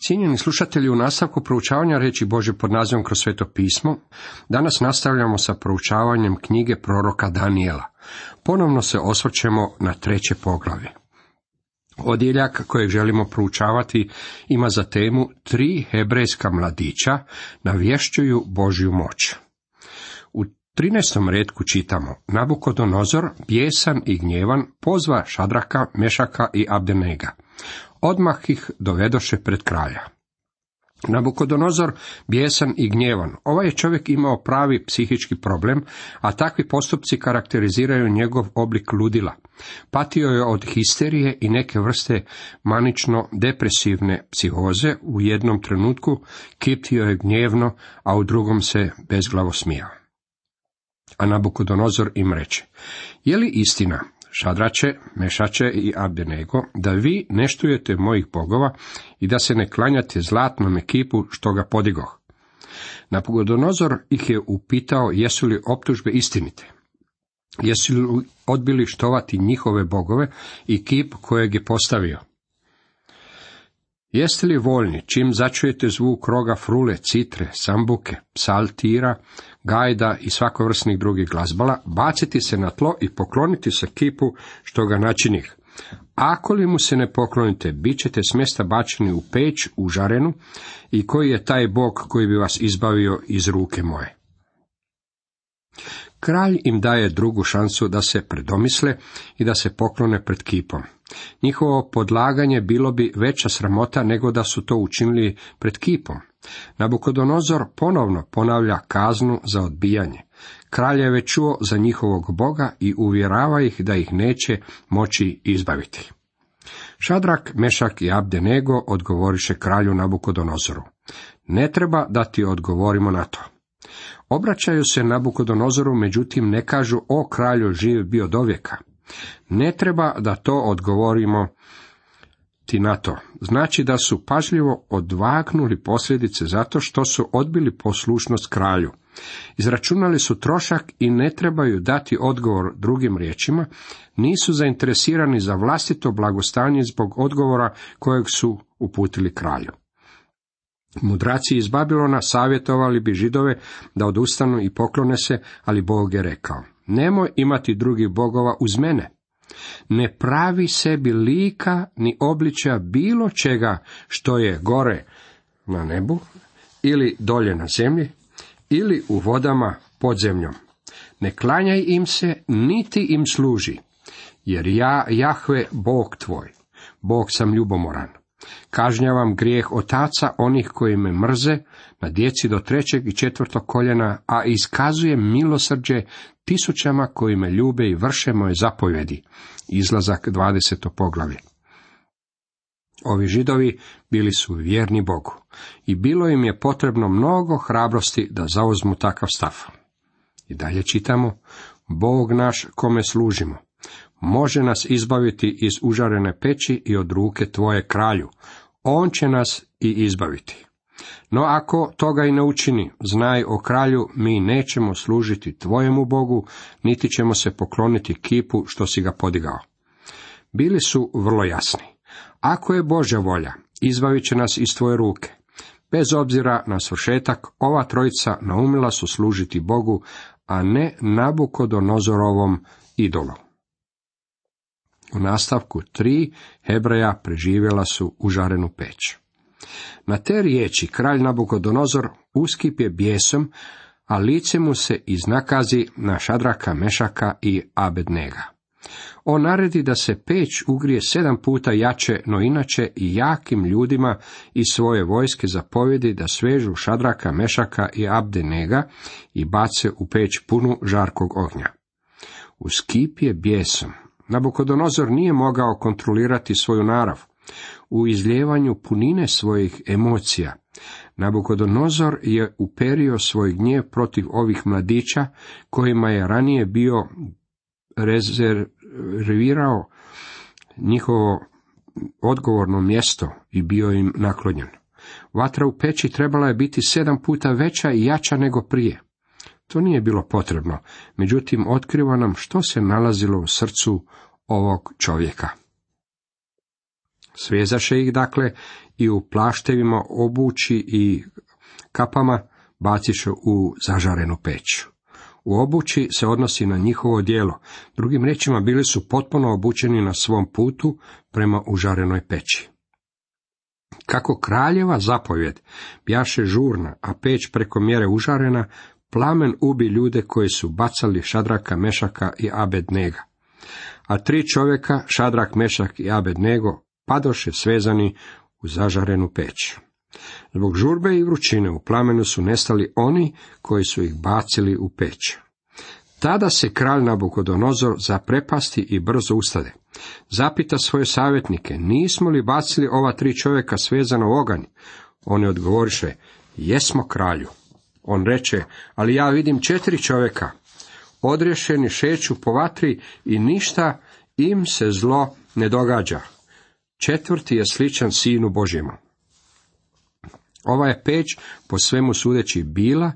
Cijenjeni slušatelji, u nastavku proučavanja riječi Božje pod nazivom Kroz sveto pismo, danas nastavljamo sa proučavanjem knjige proroka Danijela. Ponovno se osvrćemo na 3. poglavlje. Odjeljak kojeg želimo proučavati ima za temu 3 hebrejska mladića navješćuju Božju moć. U 13. retku čitamo: Nabukodonozor, bijesan i gnjevan, pozva Šadraka, Mešaka i Abdenega. Odmah ih dovedoše pred kralja. Nabukodonozor, bijesan i gnjevan. Ovaj je čovjek imao pravi psihički problem, a takvi postupci karakteriziraju njegov oblik ludila. Patio je od histerije i neke vrste manično-depresivne psihoze. U jednom trenutku kitio je gnjevno, a u drugom se bezglavo smijao. A Nabukodonozor im reče: je li istina, Šadrače, Mešače i Abdenego, da vi ne štujete mojih bogova i da se ne klanjate zlatnom kipu što ga podigoh? Nabukodonozor ih je upitao jesu li optužbe istinite. Jesu li odbili štovati njihove bogove i kip kojeg je postavio? Jeste li voljni, čim začujete zvuk roga frule, citre, sambuke, psaltira, gajda i svakovrsnih drugih glazbala, baciti se na tlo i pokloniti se kipu što ga načinih? Ako li mu se ne poklonite, bit ćete s mjesta bačeni u peć užarenu, i koji je taj Bog koji bi vas izbavio iz ruke moje? Kralj im daje drugu šansu da se predomisle i da se poklone pred kipom. Njihovo podlaganje bilo bi veća sramota nego da su to učinili pred kipom. Nabukodonozor ponovno ponavlja kaznu za odbijanje. Kralj je već čuo za njihovog Boga i uvjerava ih da ih neće moći izbaviti. Šadrak, Mešak i Abdenego odgovoriše kralju Nabukodonozoru: ne treba da ti odgovorimo na to. Obraćaju se Nabukodonozoru, međutim ne kažu: o kralju, živ bio dovijeka. Ne treba da to odgovorimo ti na to. Znači da su pažljivo odvagnuli posljedice zato što su odbili poslušnost kralju. Izračunali su trošak i ne trebaju dati odgovor. Drugim riječima, nisu zainteresirani za vlastito blagostanje zbog odgovora kojeg su uputili kralju. Mudraci iz Babilona savjetovali bi Židove da odustanu i poklone se, ali Bog je rekao: nemoj imati drugih bogova uz mene. Ne pravi sebi lika ni obličaja bilo čega što je gore na nebu, ili dolje na zemlji, ili u vodama pod zemljom. Ne klanjaj im se, niti im služi, jer ja, Jahve, Bog tvoj, Bog sam ljubomoran. Kažnjavam grijeh otaca onih koji me mrze, na djeci do 3. i 4. koljena, a iskazujem milosrđe tisućama koji me ljube i vrše moje zapovjedi. Izlazak 20. poglavlje. Ovi Židovi bili su vjerni Bogu i bilo im je potrebno mnogo hrabrosti da zauzmu takav stav. I dalje čitamo: Bog naš kome služimo može nas izbaviti iz užarene peći i od ruke tvoje, kralju. On će nas i izbaviti. No ako toga i ne učini, znaj, o kralju, mi nećemo služiti tvojemu Bogu, niti ćemo se pokloniti kipu što si ga podigao. Bili su vrlo jasni. Ako je Božja volja, izbavit će nas iz tvoje ruke. Bez obzira na svršetak, ova trojica naumila su služiti Bogu, a ne Nabukodonozorovom idolu. U nastavku 3 Hebreja preživjela su užarenu peć. Na te riječi kralj Nabukodonozor uskipje bijesom, a lice mu se iznakazi na Šadraka, Mešaka i Abednega. On naredi da se peć ugrije 7 puta jače, no inače i jakim ljudima iz svoje vojske zapovjedi da svežu Šadraka, Mešaka i Abednega i bace u peć punu žarkog ognja. Uskipje bijesom. Nabukodonozor nije mogao kontrolirati svoju narav. U izljevanju punine svojih emocija, Nabukodonozor je uperio svoj gnjev protiv ovih mladića, kojima je ranije bio rezervirao njihovo odgovorno mjesto i bio im naklonjen. Vatra u peći trebala je biti 7 puta veća i jača nego prije. To nije bilo potrebno, međutim otkriva nam što se nalazilo u srcu ovog čovjeka. Svezaše ih dakle i u plaštevima obući i kapama baciše u zažarenu peć. U obući se odnosi na njihovo djelo, drugim riječima bili su potpuno obučeni na svom putu prema užarenoj peći. Kako kraljeva zapovjed bjaše žurna, a peć preko mjere užarena, plamen ubi ljude koji su bacali Šadraka, Mešaka i Abednega. A 3 čovjeka, Šadrak, Mešak i Abednego, padoše svezani u zažarenu peć. Zbog žurbe i vrućine u plamenu su nestali oni koji su ih bacili u peć. Tada se kralj Nabukodonozor zaprepasti i brzo ustade. Zapita svoje savjetnike, nismo li bacili ova 3 čovjeka svezana u oganj? Oni odgovoriše, jesmo kralju. On reče, ali ja vidim 4 čovjeka, odriješeni šeću po vatri i ništa im se zlo ne događa. 4. je sličan Sinu Božjemu. Ova je peć po svemu sudeći bila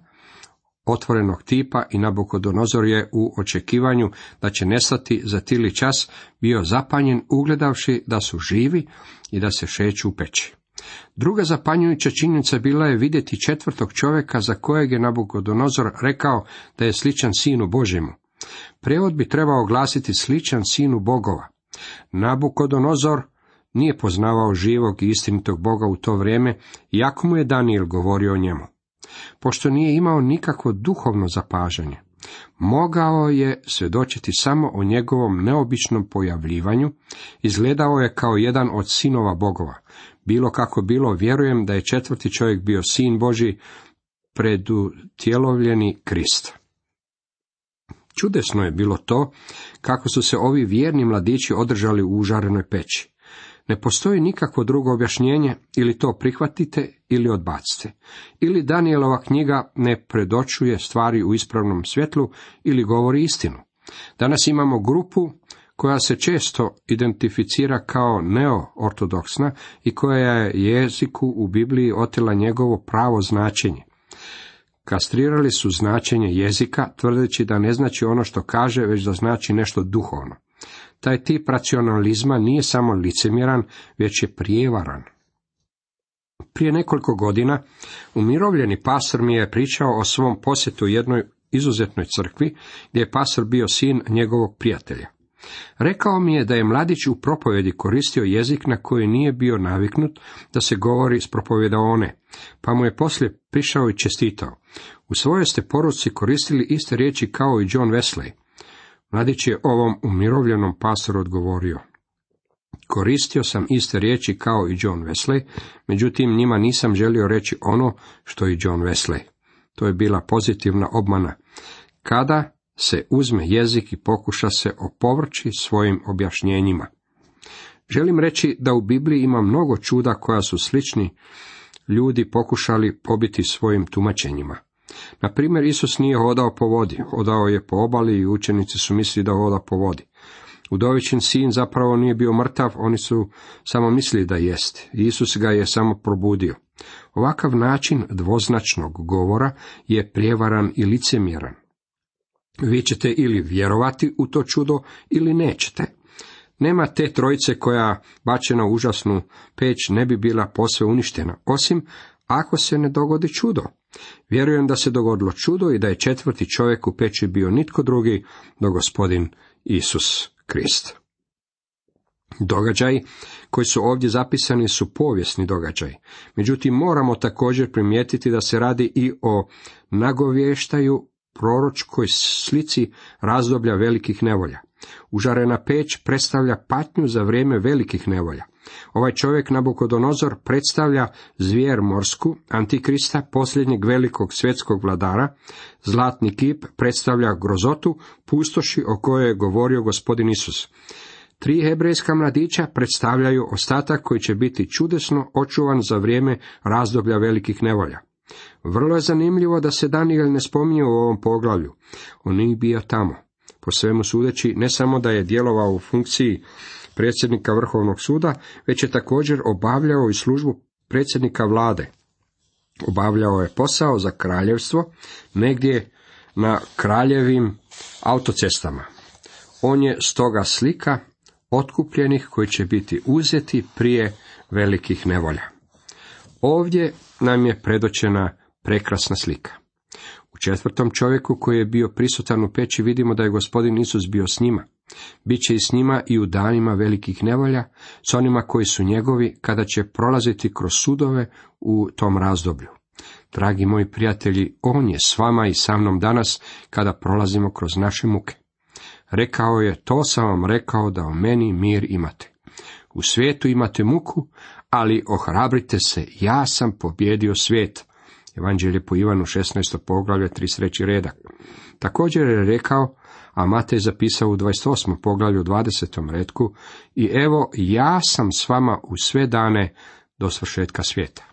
otvorenog tipa i Nabukodonozor je u očekivanju da će nestati za tili čas bio zapanjen ugledavši da su živi i da se šeću u peći. Druga zapanjujuća činjenica bila je vidjeti 4. čovjeka za kojeg je Nabukodonozor rekao da je sličan Sinu Božjemu. Prijevod bi trebao glasiti sličan Sinu Bogova. Nabukodonozor nije poznavao živog i istinitog Boga u to vrijeme, iako mu je Danijel govorio o njemu. Pošto nije imao nikakvo duhovno zapažanje, mogao je svjedočiti samo o njegovom neobičnom pojavljivanju, izgledao je kao jedan od sinova Bogova. Bilo kako bilo, vjerujem da je 4. čovjek bio Sin Božji, predutjelovljeni Krist. Čudesno je bilo to kako su se ovi vjerni mladići održali u užarenoj peći. Ne postoji nikakvo drugo objašnjenje, ili to prihvatite ili odbacite. Ili Danijelova knjiga ne predočuje stvari u ispravnom svjetlu ili govori istinu. Danas imamo grupu koja se često identificira kao neoortodoksna i koja je jeziku u Bibliji otela njegovo pravo značenje. Kastrirali su značenje jezika, tvrdeći da ne znači ono što kaže, već da znači nešto duhovno. Taj tip racionalizma nije samo licemjeran, već je prijevaran. Prije nekoliko godina umirovljeni pastor mi je pričao o svom posjetu jednoj izuzetnoj crkvi, gdje je pastor bio sin njegovog prijatelja. Rekao mi je da je mladić u propovjedi koristio jezik na koji nije bio naviknut da se govori s propovjedaone, pa mu je poslije prišao i čestitao. U svojoj ste poruci koristili iste riječi kao i John Wesley. Mladić je ovom umirovljenom pastoru odgovorio, koristio sam iste riječi kao i John Wesley, međutim njima nisam želio reći ono što i John Wesley. To je bila pozitivna obmana. Kada se uzme jezik i pokuša se opovrći svojim objašnjenjima. Želim reći da u Bibliji ima mnogo čuda koja su slični ljudi pokušali pobiti svojim tumačenjima. Na primjer, Isus nije hodao po vodi, hodao je po obali i učenici su mislili da hoda po vodi. Udovičin sin zapravo nije bio mrtav, oni su samo mislili da jest. Isus ga je samo probudio. Ovakav način dvoznačnog govora je prijevaran i licemjeran. Vi ćete ili vjerovati u to čudo ili nećete. Nema te trojice koja bačena u užasnu peć ne bi bila posve uništena, osim ako se ne dogodi čudo. Vjerujem da se dogodilo čudo i da je 4. čovjek u peći bio nitko drugi do Gospodin Isus Krist. Događaji koji su ovdje zapisani su povijesni događaji. Međutim, moramo također primijetiti da se radi i o nagovještaju proročkoj slici razdoblja velikih nevolja. Užarena peć predstavlja patnju za vrijeme velikih nevolja. Ovaj čovjek Nabukodonozor predstavlja zvijer morsku, antikrista, posljednjeg velikog svjetskog vladara. Zlatni kip predstavlja grozotu, pustoši o kojoj je govorio Gospodin Isus. 3 hebrejska mladića predstavljaju ostatak koji će biti čudesno očuvan za vrijeme razdoblja velikih nevolja. Vrlo je zanimljivo da se Danijel ne spominje u ovom poglavlju. On nije bio tamo. Po svemu sudeći, ne samo da je djelovao u funkciji predsjednika Vrhovnog suda, već je također obavljao i službu predsjednika vlade. Obavljao je posao za kraljevstvo negdje na kraljevim autocestama. On je stoga slika otkupljenih koji će biti uzeti prije velikih nevolja. Ovdje nam je predočena prekrasna slika. U 4. čovjeku koji je bio prisutan u peći vidimo da je Gospodin Isus bio s njima. Biće i s njima i u danima velikih nevolja, s onima koji su njegovi, kada će prolaziti kroz sudove u tom razdoblju. Dragi moji prijatelji, on je s vama i sa mnom danas, kada prolazimo kroz naše muke. Rekao je, to sam vam rekao da u meni mir imate. U svijetu imate muku, ali ohrabrite se, ja sam pobjedio svijet. Evanđelje po Ivanu 16. poglavlje 33. redak. Također je rekao, a Matej zapisao u 28. poglavlju 20. retku, i evo ja sam s vama u sve dane do svršetka svijeta.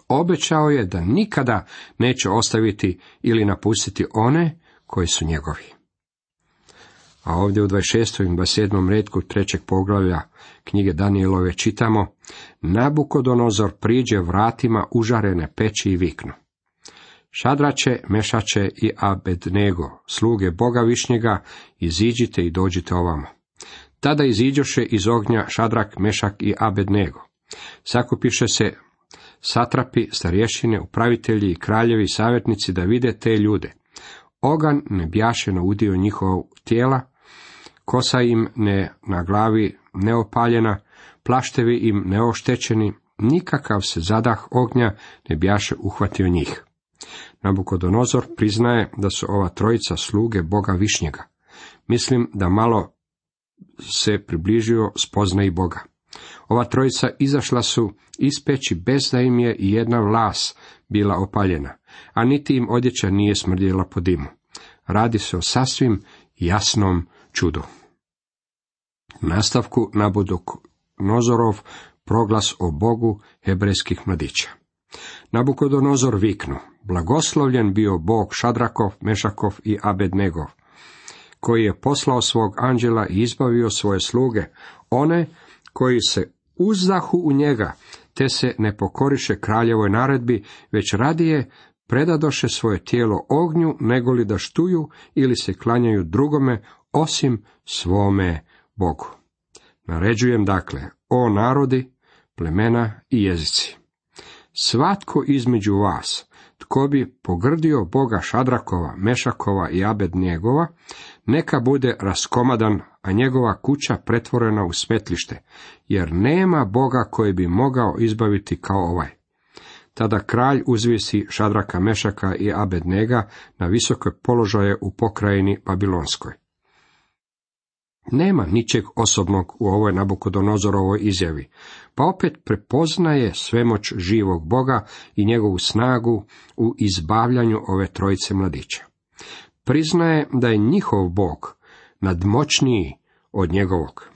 Obećao je da nikada neće ostaviti ili napustiti one koji su njegovi. A ovdje u 26. i 27. retku 3. poglavlja knjige Danijelove čitamo, Nabukodonozor priđe vratima užarene peći i viknu. Šadrače, Mešače i Abednego, sluge Boga Višnjega, iziđite i dođite ovamo. Tada iziđoše iz ognja Šadrak, Mešak i Abednego. Sakupiše se satrapi, starješine, upravitelji i kraljevi, savjetnici da vide te ljude. Oganj ne bjaše naudio njihovog tijela, kosa im ne na glavi neopaljena, plaštevi im neoštećeni, nikakav se zadah ognja ne bjaše uhvatio njih. Nabukodonozor priznaje da su ova trojica sluge Boga Višnjega. Mislim da malo se približio spoznaji Boga. Ova trojica izašla su iz peći bez da im je i jedna vlas bila opaljena, a niti im odjeća nije smrdjela po dimu. Radi se o sasvim jasnom čudu. U nastavku Nabukodonozorov proglas o Bogu hebrejskih mladića. Nabukodonozor viknu, blagoslovljen bio Bog Šadrakov, Mešakov i Abednegov, koji je poslao svog anđela i izbavio svoje sluge, one koji se uzdahu u njega, te se ne pokoriše kraljevoj naredbi, već radije predadoše svoje tijelo ognju, negoli da štuju ili se klanjaju drugome, osim svome Bogu. Naređujem dakle, o narodi, plemena i jezici. Svatko između vas, tko bi pogrdio Boga Šadrakova, Mešakova i Abednjegova, neka bude raskomadan, a njegova kuća pretvorena u smetlište, jer nema Boga koji bi mogao izbaviti kao ovaj. Tada kralj uzvisi Šadraka, Mešaka i Abednega na visoke položaje u pokrajini Babilonskoj. Nema ničeg osobnog u ovoj Nabukodonozorovoj izjavi, pa opet prepoznaje svemoć živog Boga i njegovu snagu u izbavljanju ove trojice mladića. Priznaje da je njihov Bog nadmoćniji od njegovog.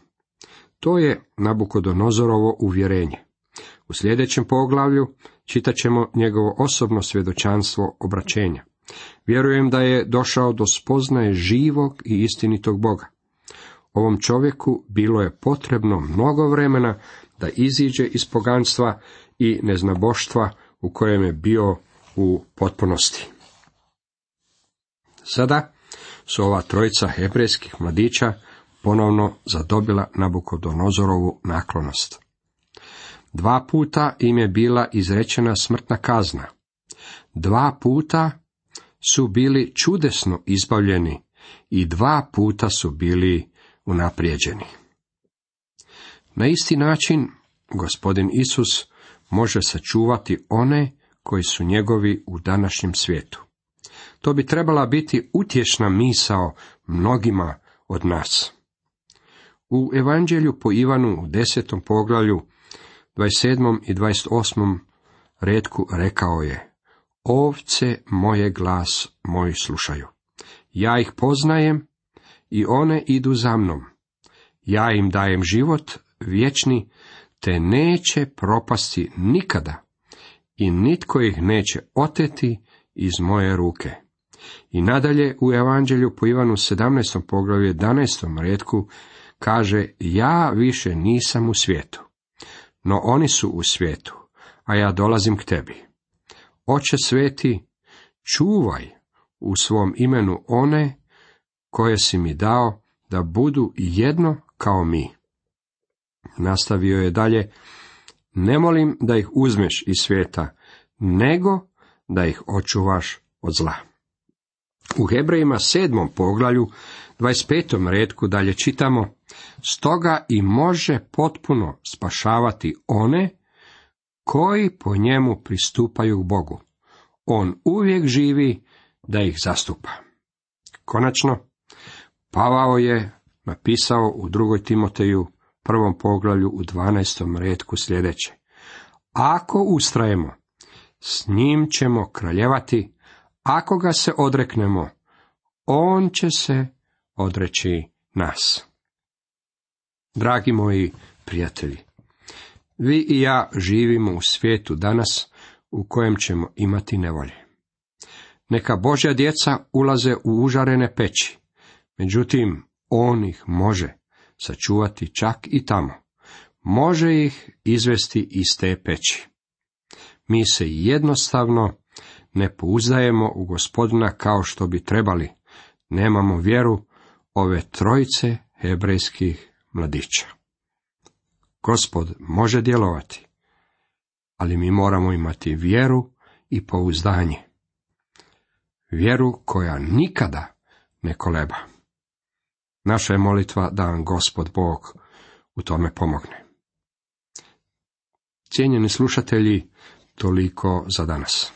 To je Nabukodonozorovo uvjerenje. U sljedećem poglavlju čitat ćemo njegovo osobno svjedočanstvo obraćenja. Vjerujem da je došao do spoznaje živog i istinitog Boga. Ovom čovjeku bilo je potrebno mnogo vremena da iziđe iz poganstva i neznaboštva u kojem je bio u potpunosti. Sada su ova trojica hebrejskih mladića ponovno zadobila Nabukodonozorovu naklonost. 2 puta im je bila izrečena smrtna kazna. 2 puta su bili čudesno izbavljeni i 2 puta su bili unaprijeđeni. Na isti način Gospodin Isus može sačuvati one koji su njegovi u današnjem svijetu. To bi trebala biti utješna misao mnogima od nas. U Evanđelju po Ivanu u 10. poglavlju 27. i 28. retku rekao je, ovce moje glas moj slušaju. Ja ih poznajem i one idu za mnom. Ja im dajem život vječni, te neće propasti nikada i nitko ih neće oteti iz moje ruke. I nadalje u Evanđelju po Ivanu 17. poglavlju 11. retku kaže, ja više nisam u svijetu, no oni su u svijetu, a ja dolazim k tebi. Oče sveti, čuvaj u svom imenu one koje si mi dao, da budu jedno kao mi. Nastavio je dalje, Ne molim da ih uzmeš iz svijeta, nego da ih očuvaš od zla. U Hebrejima 7. poglavlju 25. retku dalje čitamo: stoga i može potpuno spašavati one koji po njemu pristupaju k Bogu. On uvijek živi da ih zastupa. Konačno, Pavao je napisao u 2. Timoteju 1. poglavlju u 12. retku sljedeće: ako ustrajemo, s njim ćemo kraljevati, ako ga se odreknemo, on će se odreći nas. Dragi moji prijatelji, vi i ja živimo u svijetu danas u kojem ćemo imati nevolje. Neka Božja djeca ulaze u užarene peći, međutim, on ih može sačuvati čak i tamo. Može ih izvesti iz te peći. Mi se jednostavno ne pouzdajemo u Gospodina kao što bi trebali. Nemamo vjeru ove trojice hebrejskih mladića. Gospod može djelovati, ali mi moramo imati vjeru i pouzdanje. Vjeru koja nikada ne koleba. Naša je molitva da vam Gospod Bog u tome pomogne. Cijenjeni slušatelji, toliko za danas.